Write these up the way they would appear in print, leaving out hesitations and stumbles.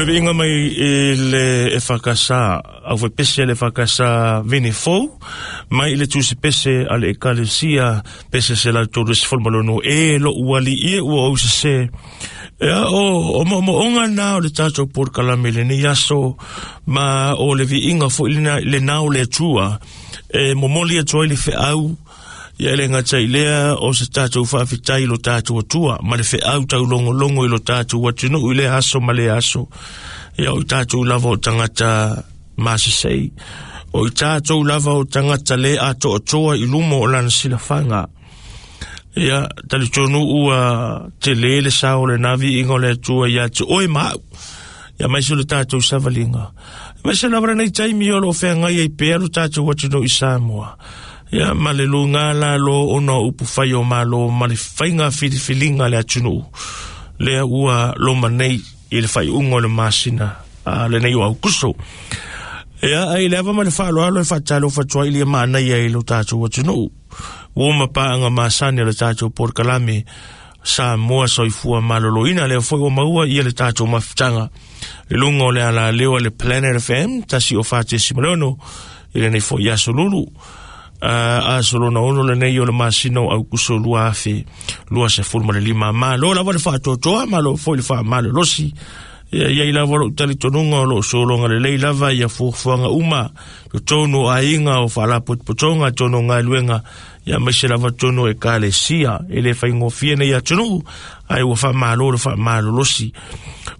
le viiga mai i le EFKS, aufaipese a le EFKS Vene Fou, mai i le tusipese a le Ekalesia Pese 136, E lo'u alii e ua ou sesē. Ia, o moomooga na o le tatou polokalame i lenei aso, ma o le viiga foi lena o le Atua e momoli atu ai le feau. Ia e le gata i lea o se tatou faafetai i lo tatou Atua ma le feau taulogologo i lo tatou atunuu i lea aso ma lea aso. Ia o i tatou lava o tagata masesei, o i tatou lava o tagata le atoatoa i luma o lana silafaga. Ia, talitonu ua tele le sao o lena viiga o le Atua ia te oe ma au. Ia aemaise o le tatou savaliga. Aemaise lava lenei taimi o lo o feagai ai pea lo tatou atunuu i Samoa. Ia, ma le luga lalo ona o upu fai o Malo ma le faiga filifiliga a le atunuu lea ua loma nei i le faaiuga o le masina a lenei o Aukuso. Ia, ai le ava ma le faaaloalo e faatalofa atu ai i le manaia i lo tatou atunuu. Ua mapaaga masani o le tatou polokalame Samoa Soifua Maloloina, lea foi ua maua ia le tatou mafutaga i luga o le alaleo a le Planet FM 104.6 i lenei foi aso lulu. Aso lona ono lenei o le masina o Aukuso 2025. Malo lava le faatoatoa, malo foi le faamalolosi. Ia iai lava lou talitonuga o loo sologa lelei lava ia fuafuaga uma totonu o aiga o faalapotopotoga totonu o galuega ia aemaise lava totonu o ekalesia. E le faigofie nei atunuu, ae ua faamalo le faamalolosi.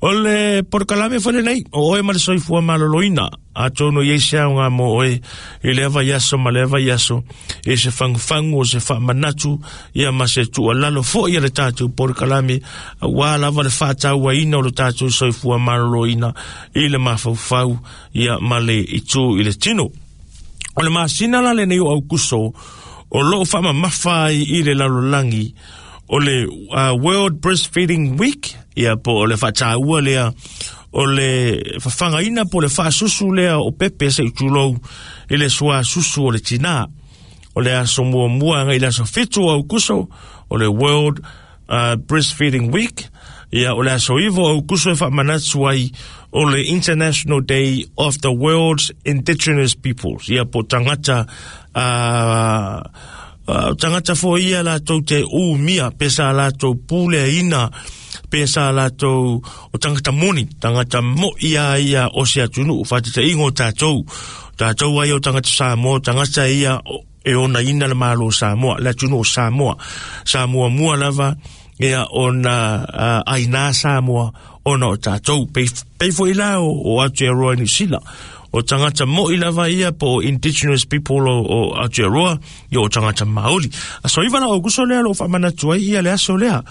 O le polokalame foi lenei o oe ma le soifua maloloina, atonu e i ai se aoga mo oe i lea vaiaso ma lea vaiaso, i se fagufagu o se faamanatu ia ma se tuualalo foi a le tatou polokalame, aua lava le faatauaina o le tatou soifua maloloina i le mafaufau ia ma le itu i le tino. O le masina la lenei o Aukuso o loo faamamafa ai i le lalolagi o le World Breastfeeding Week, ia po o le faataua lea o le fafagaina po o le faasusu lea o pepe se i tulou i le suasusu o le tinā. O le aso muamua agai i le aso 7 o Aukuso o le World Breastfeeding Week, ia o le aso 9 o Aukuso e faamanatu ai o le International Day of the World's Indigenous Peoples, ia po tagata tagata foi ia latou te umia pe sa latou puleaina pe sa latou o tagata moni, tagata moi a ia o se atunuu, faataitaiga o tatou, tatou ai o tagata Samoa, tagata ia e onaina le Malo o Samoa, le atunuu o Samoa. Sa muamua lava ia ona aina Samoa ona o tatou. Pei, pei foi la o Aotearoa i Niu Sila. O tagata moi lava ia po o indigenous people o Aotearoa, ia o tagata Māori. Aso 9 la o Aukuso lea lo faamanatu ai ia le aso lea.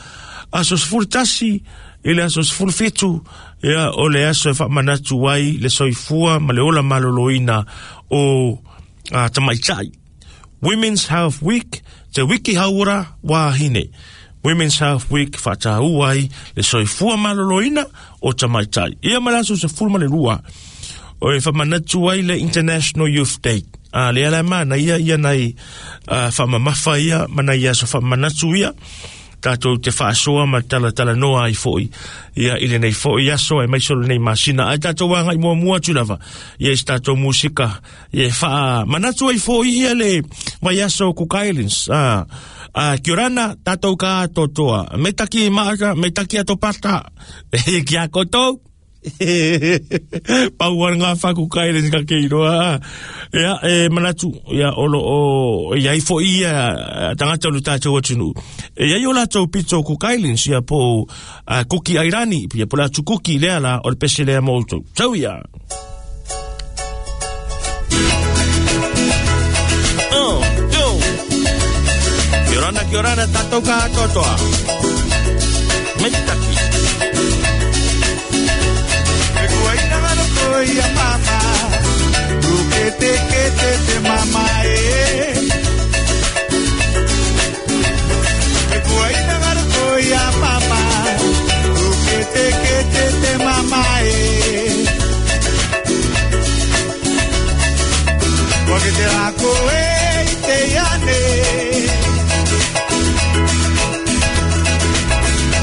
Aso 11 i le aso 17, ia o le aso e faamanatu ai le soifua ma le ola maloloina o tamaitai. Women's Health Week, te wiki hauora wāhine. Women's Health Week whatāua ai le soifua maloloina o tamaitai. Ia ma le aso 12, o e whamanatu ai le International Youth Day. A le ala mana ia ia nei whamamafa ia mana ia so whamanatu ia tatou te faasoa ma talatalanoa ai foi ia i lenei foi aso aemaise o lenei masina. Ae tatou agai muamua atu lava ia i se tatou musika ia e faamanatu ai foi ia le vaiaso o Cook Islands. Kia ora tatou ka atoatoa. Me taki maaka, me taki ato pata. Ki a koutou. Pau ana ngā wha Cook Islands ka kei roa. Ia, e manatu, ia, o lo o, ia i foi ia, tangata o le tātou atunuu. E ia i o lātou pito Cook Islands, ia po Kuki Airani, ia po lātou Kuki lea la, o le pese lea mo outou. Tau ia! Oh, yo. Kia ora, kia ora, tātou ka atoatoa. Me taki. E kua ina ngaro koe ia mama, Kete kete te mama e. E kua ina ngaro koe ia mama, Kete kete te mama e. Kua ke te rā koe i te iane.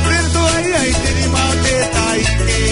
Rere toa ia i te rima o te taike.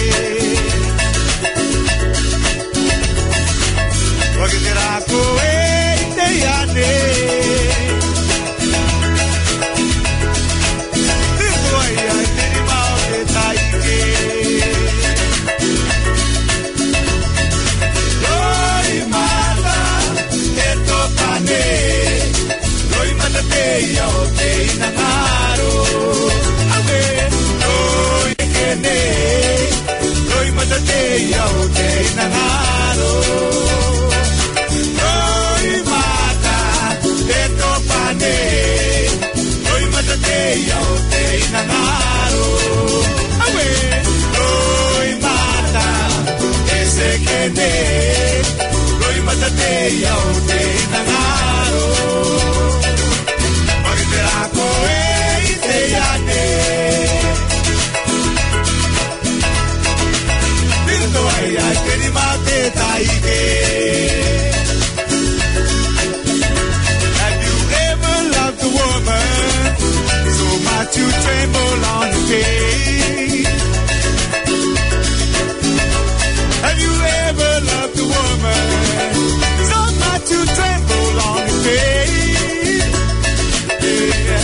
much you tremble on your face? Have you ever loved a woman so much you tremble on your face? Yeah.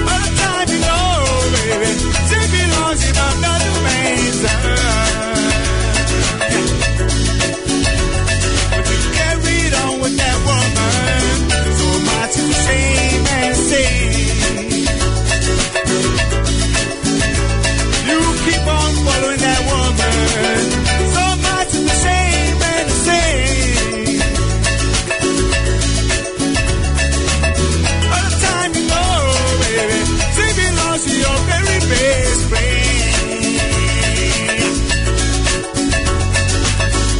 By the time you know, baby, she belongs in another man's arms. But you carried on with that woman so much is the same and same. You keep on following that woman so much is the same and the same. By the time you know, baby, she belongs to your very best friend.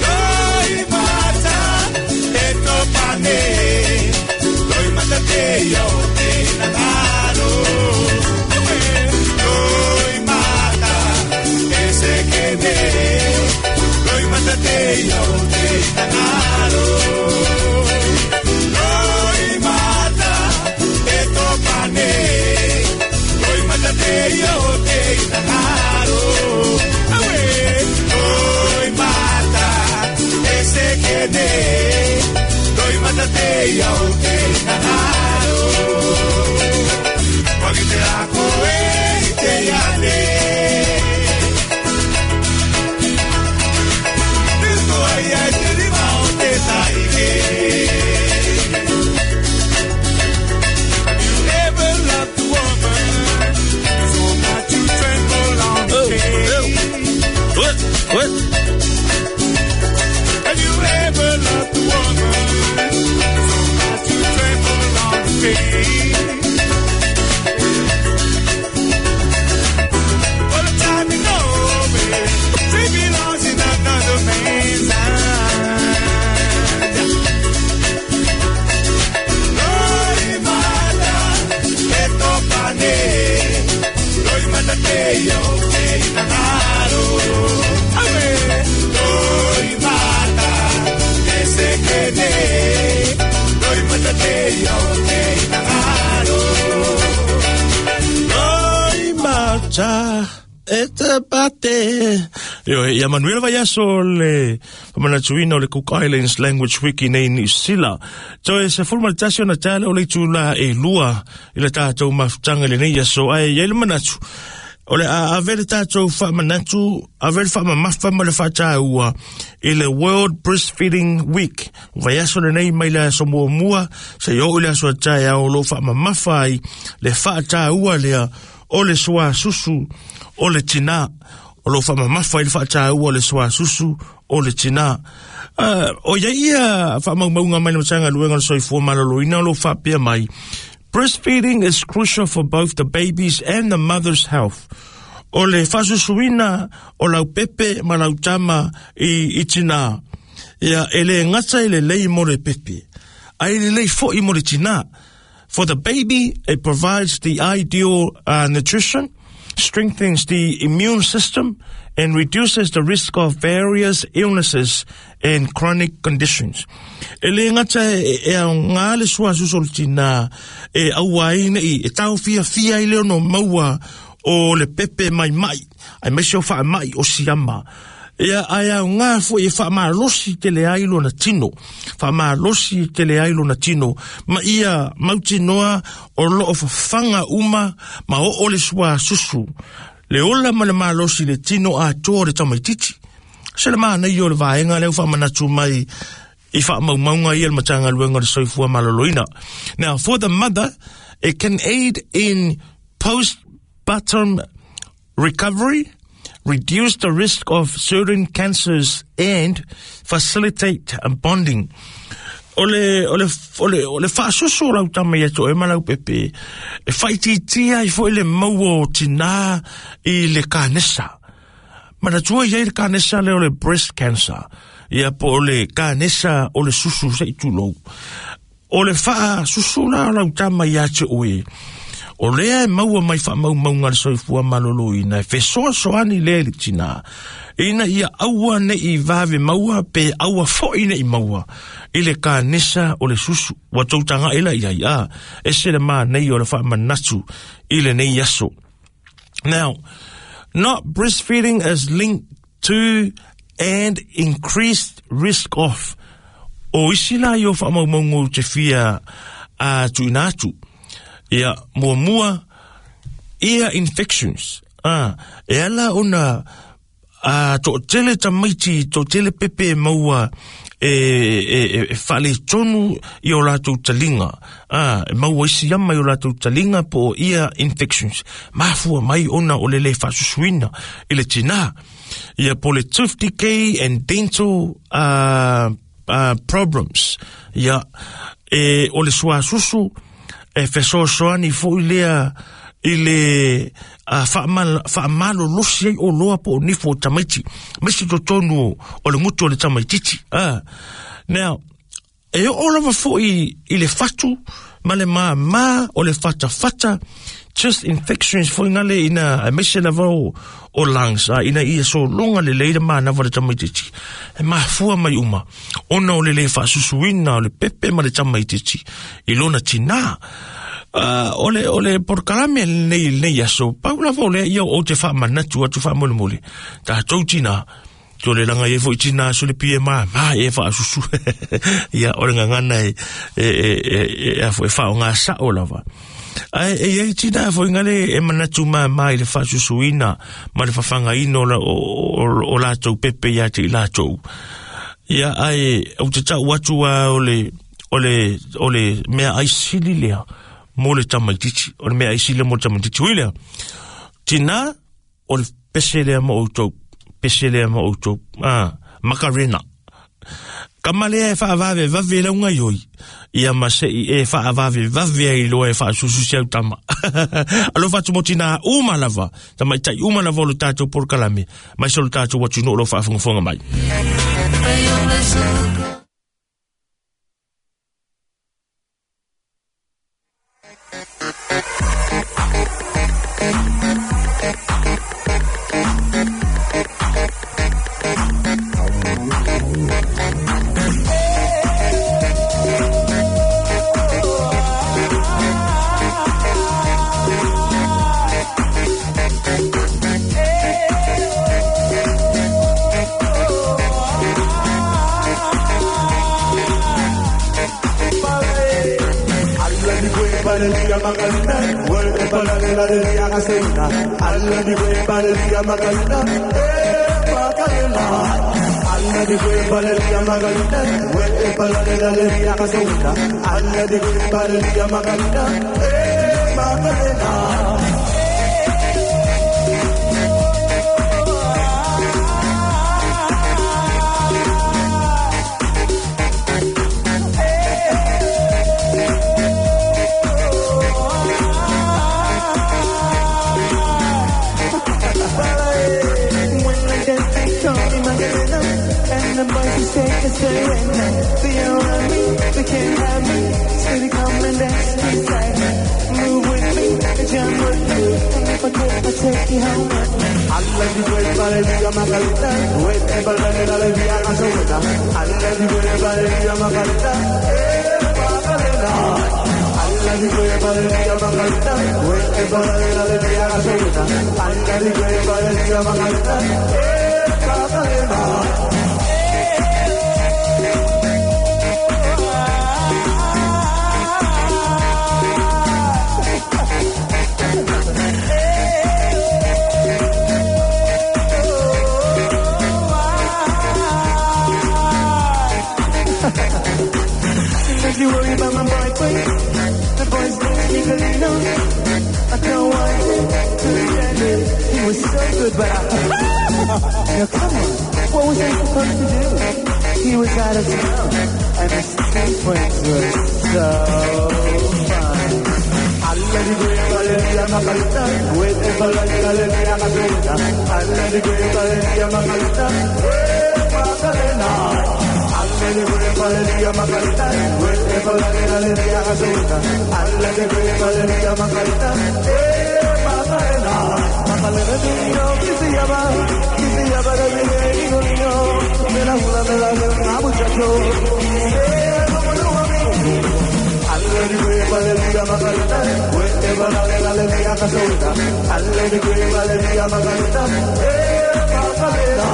Loi mata e to pane, loi mata te yo te nangaro. Loi mata e se kene, loi mata te yo te nangaro. Loi mata e to pane, loi mata te yo te nangaro. Loi mata e se kene, loi mata te yo te nangaro. Wagi te ako e te yane. Te ai ai te rima o te taike. Have you ever loved a woman so much you tremble on the face? What? What? Have you ever loved a woman so much you tremble on the face? All the time you know, baby, she belongs in another man's arms. Loi mata e to pane, loi mata te yo te nangaro. Awe, loi mata e se kene, loi mata te yo te nangaro. Loi mata e te pate. Io, ia manuia le vaiaso le faamanatuina o le Cook Islands Language Week i nei Niu Sila. Toe 11 ona tala o le itulā e 2 i le tatou mafutaga i lenei aso, ae i ai le manatu o le a ave le tatou faamanatu, ave le faamamafa ma le faataua i le World Breastfeeding Week. Vaiaso lenei mai le aso muamua seia oo i le aso a taeao o loo faamamafa ai le faataua lea o le suasusu o le tinā. O loo faamamafa ai le faataua o le suasusu o le tinā. O ia ia faamaumauga mai le Matagaluega o le Soifua Maloloina o loo faapea mai. Breastfeeding is crucial for both the baby's and the mother's health. O le faasusuina o lau pepe ma lau tama i tinā. Ia, e le gata i lelei mo le pepe, ae lelei fo'i mo le tinā. For the baby, it provides the ideal nutrition, strengthens the immune system, and reduces the risk of various illnesses and chronic conditions. E le gata e aogā le suasusu o le tinā e aua ai nei, e taofiafia ai le ono maua o le pepe mai mai, aemaise o faamai o siama. Ia, ae aogā fo'i e faamalosi tele ai lona tino. Faamalosi tele ai lona tino. Ma ia mautinoa o loo fafaga uma ma oo le suasusu. Le ola ma le malosi le tino atoa o le tamaitiiti. Se le manaia o le vaega lea ua faamanatu mai i faamaumauga ia le Matagaluega o le Soifua Maloloina. Now, for the mother, it can aid in postpartum recovery, reduce the risk of certain cancers, and facilitate bonding. O le, o le, o le, o le faasusu o lau tama ia te oe ma lau pepe, e faaitiitia ai fo'i le maua o tinā i le kanesa. Manatua i ai le kanesa lea o le breast cancer, ia po o le kanesa o le susu se'i tulou. O le faasusu la o lau tama ia te oe, O lea e maua mai faamaumauga a le Soifua Maloloina e fesoasoani lea i le tinā, ina ia aua ne i vave maua pe aua foi ne i maua i le kanesa o le susu. Ua tou taga'i la i ai, a, ese le manaia o le faamanatu i lenei aso. Now, not breastfeeding is linked to and increased risk of. O isi la ia o faamaumauga ou te fia a tuuina atu. Ia, muamua, ear infections. Ah, e ala ona a toatele tamaiti, toatele pepe e maua e, e, e, e faaletonu i o latou taliga, a, e maua isi ama i o latou taliga po o ear infections. Mafua mai ona o le lē faasusuina i le tinā. Ia po le tooth decay and dental problems. Ia, e, o le suasusu, e fesoasoani foi lea i le faamalolosi ai oloa po o nifo o tamaiti, maise totonu o, o le gutu o le tamaitiiti. Now, e oo lava foi i le fatu ma le māmā o le fatafata, chest infections foi ngale ina, aemaise lava o, o lungs, a, ina ia sologa lelei le manava o le tamaitiiti. E mafua mai uma, ona o le lē faasusuina o le pepe ma le tamaitiiti i lona tinā. O le, o le polokalame lenei, lenei aso, pau lava o lea ia ou te faamanatu atu faamolemole, tatou tinā, Ko le langa ia foi tina so le pie ma ma e fa susu. Ia o le ngangana e e e e e a foi fa o ngā sao lava. Ai e ai tina foi ngale e manatu ma ma i le fa susuina ma le fafangaina o la o, o, o latou pepe ia te i latou. Ia ai o te tau atu a o le o le o le mea ai sili lea mo le tamaitiiti. O le mea ai sili mo le tamaitiiti. Hui lea. Tina o le pese lea ma outou, pese lea ma outou, ah, Macarena. Kama lea e faavave vave lau gaioi, ia ma se'i e faavave vave ai loa e faasusu si au tama. Alofa atu mo tinā uma lava, tamaitai uma lava o le tatou polokalame, mai se o le tatou atunuu o lo o faafogafoga mai. Alegría, gasolina, alegría, alegría, Macarena, Macarena. Macarena, que se llama, niño, me la jura, me la jura, muchacho, como yo amigo. Alegría, alegría, Macarena, alegría, gasolina, alegría, alegría, Macarena, Macarena.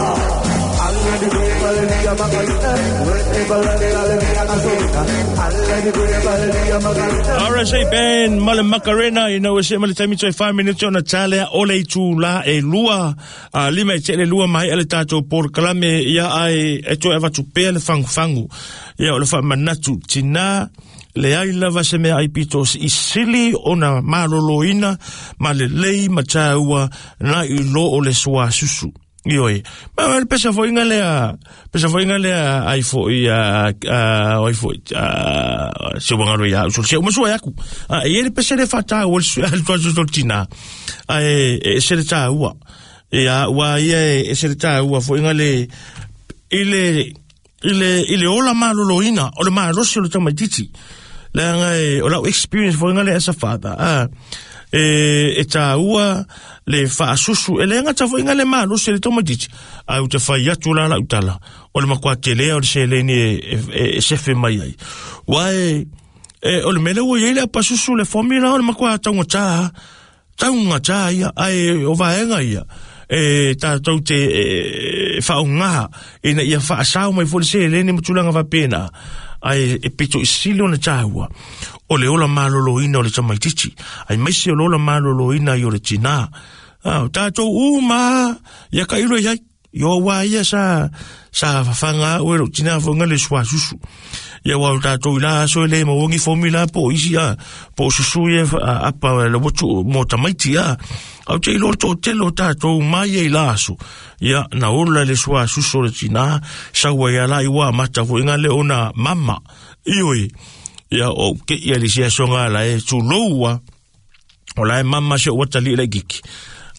RSA Band, Male Macarena, you know, se male taimi toi 5 minutes ona tale ole tu la e lua, a lima e tele lua mai ale tatou por kalame ia ai e toi avatu pea le fangu fangu. Ia o le wha manatu tina le ai lava se mea ai pito i sili ona maloloina ma le lei ma tāua na i lo o le sua susu. Ioi. Ma le pesa foinga lea, pesa foinga lea ai foi a ai foi a se wangaro ia so se uma sua yaku. A e le pesa le fata o le tua so tina. A e se le ta ua. E a ua ia e se le ta ua foinga le ile ile ile ola maloloina o le malosi o le tamaititi. Le anga e o lau experience foinga le as a father. A e tāua le whaasusu, e le anga ta foinga le malosi le tamaititi. A u te whai atu la lau tala, o le makua te lea o le seleni e sefe mai ai. Wa e o le mele ua iei le apasusu le formula o le makua taunga tā ia, ai o vaenga ia. E tātou te whaongaha, ina ia whaasau mai fo le seleni matulanga wapena. Ai e pito i sili o le tāua. O le ola maloloina o le tamaititi. Ai maise o le ola maloloina i o le tina. O tātou uma, ia ka ilo iai. Io wā ia sa whawhanga o e lo tina whanga le sua susu. Ia wā o tātou i la aso e le mawangi formula po isi a, po susu ia apa le wotu mō tamaiti a. Au te ilo tō telo tātou mai e i la aso. Ia na ola le sua susu le tina, saua ia la i wā mata fo inga le ona mama. Ioi, ia o ke ia le sia songa la e tūloua. O la e mama se o watali le kiki.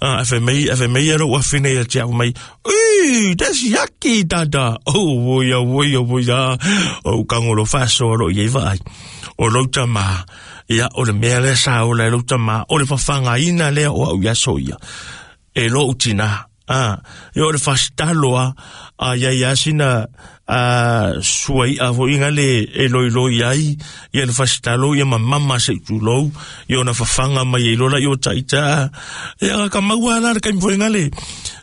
A fe mei ro wa fine ia tia mai. Ui, that's yucky dada. Oh, ya ya ya. O kangolo faso ro ye vai. O lo tama. Ia o le mea le sa o le lo tama. O le whawhanga ina le o au ia so ia. E lo utina. Ah, ia o le fastaloa a ia ia sina a suai a foinga le e loi loi ai ia le fastalo ia mama se tulou ia ona whawhanga mai e lola ia o taita ia ka maua la ka foinga le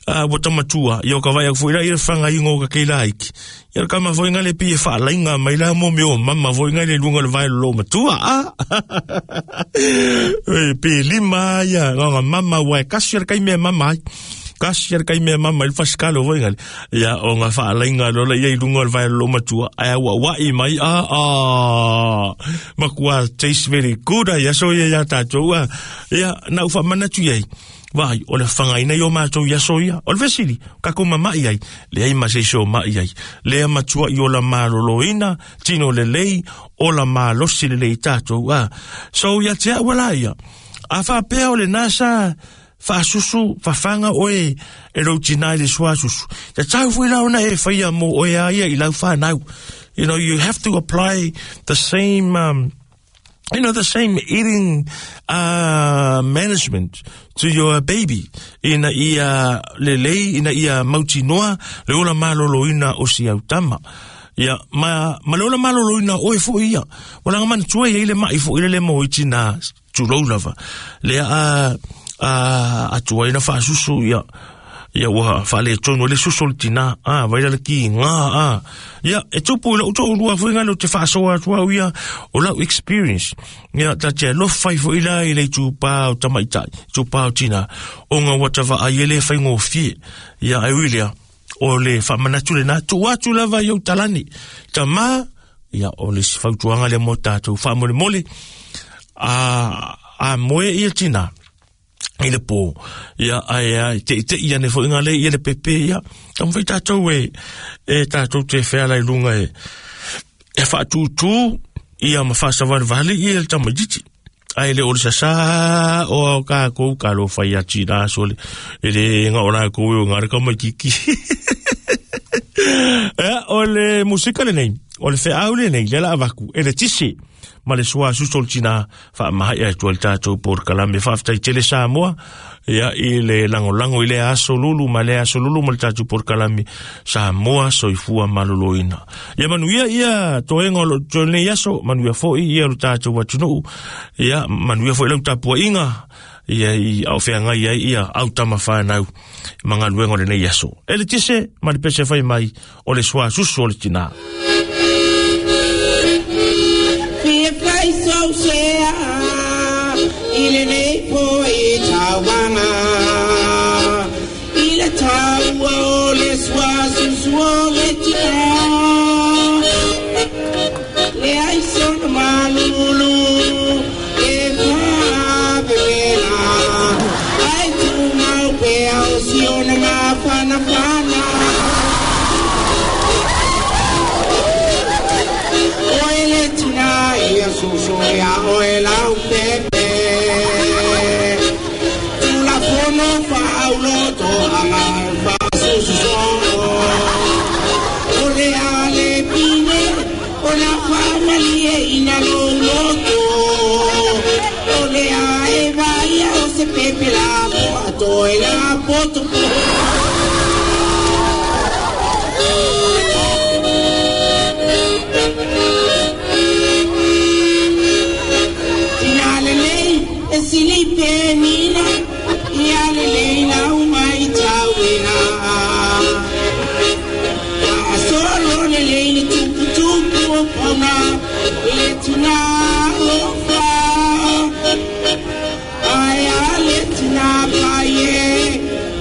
a wata matua ia ka vai foinga ia whanga ingo ka ke laiki ia ka ma foinga le pi e whaalainga mai la mo meo mama foinga le lunga le vai lo matua a e pi lima ia nga mama wa kasi kai me mama kasi kai me mama il faskalo voinga ia o nga whaalainga lola ia i lunga le vai lo matua ai wa wa i mai a makua taste very good ia so ia ia tātou ia na ufa mana tu iai vai o le whangaina i o mātou ia so ia o le vesili kako mama i ai le ai ma se so ma i ai le matua i o la maloloina tino le lei o la malosi le lei tātou a so ia te awala ia a whapea o le nasa whaasusu, whawhanga oe e rautina i le suasusu. Te tau fui lau na e whaia mō oe a ia i lau whanau. You know, you have to apply the same, you know, the same eating management to your baby. Ina ia lelei, ina ia mautinoa, le ola maloloina o si autama. Ia, ma le ola maloloina oe fo ia. Wala nga mana tua ia ile mai fo ile le mo iti na tulou lava. Le a tua ina whaasusu ia ia ua whaale tono le susu le tina a vai le ki ngā a ia e tupu i lau tō lua fo inga le te whaasoa atua ia o lau experience ia ta te lo whai fo ila i le tūpā o tamaitai tūpā o tina o ngā watawa a iele whai ngō fie ia ai uilea o le whamanatu le nā tū atu lava i au talani tama ia o le sifautuanga le mō tātou whaamole mole a moe ia tina i le pō, ia ai ai, te te ia ne fo inga le ia le pepe ia, tam fai tātou e tātou te wheala i lunga e whaatūtū, ia ma whaasawari vali ia le tamaititi. Ai le ole sasa o ka kou ka lo whai ati rā so le, e le nga ora kou e o ngā reka mai kiki. Ia, o le musika le nei. O le feau lenei le la avaku e le tisi ma le sua susu o le tina faamaha'i atu ai le tatou polokalame. Faafetai tele Samoa ia i le lagolago i lea aso lulu ma lea aso lulu ma le tatou polokalame Samoa Soifua Maloloina. Ia manuia ia toega o lo lenei aso, manuia foi ia lo tatou atunuu, ia manuia foi lau tapuaiga ia i au feagai ai ia au tama whanau ma galuega o lenei aso. E le tise ma le pese fai mai o le sua susu o le tina. Fia fai sau sea i lenei po i tauvaga i le taua o le sua susu o le tina le ai sona malulu e faavevela ai tumau pea o siona mafanafana. Oe le tina ia susu ia oe lau pepe Tulafono faauloto aga faasususo O le ale pine o na faamalie ina louloto O le a e vaia o se pepe la po e la poto. Tina lelei e sili penina ia lelei lau mai tauina. Solo lelei le tupu tupu o pauna le tina lofa. Ai a le tina paie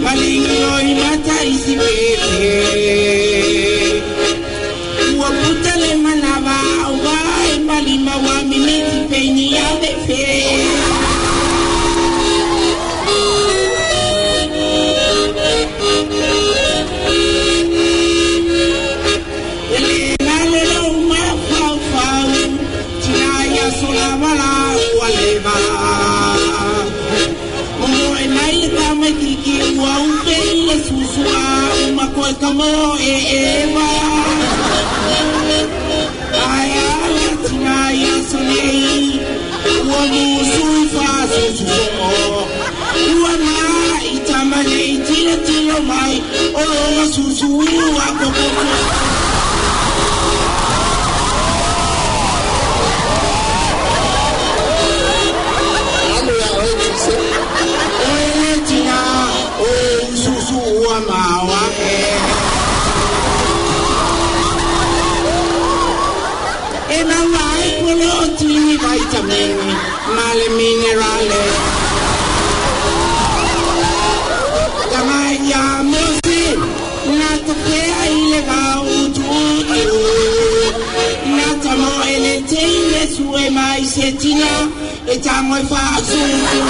malingiloi mata isi pepe. Ua puta le manava au vai malima wa mimiti peini a vefe. Ele nalo lo ma fau fau tina ia sola wala ua leva. Momo e mai le tama kiki ua upe i le susua uma koe ka mo e eva. Ai a le tina ia sonei ua musui faasususo. Ua mai tama nei tilo tilo mai o longa susu ua kokoko. Oe le tina o susu ua maua e. E maua ai polotini vitamini ma le minerale. Tama ia mose na topea i le vau tutu. Na tamo e le teine sue mai se tina e tango e faasusu.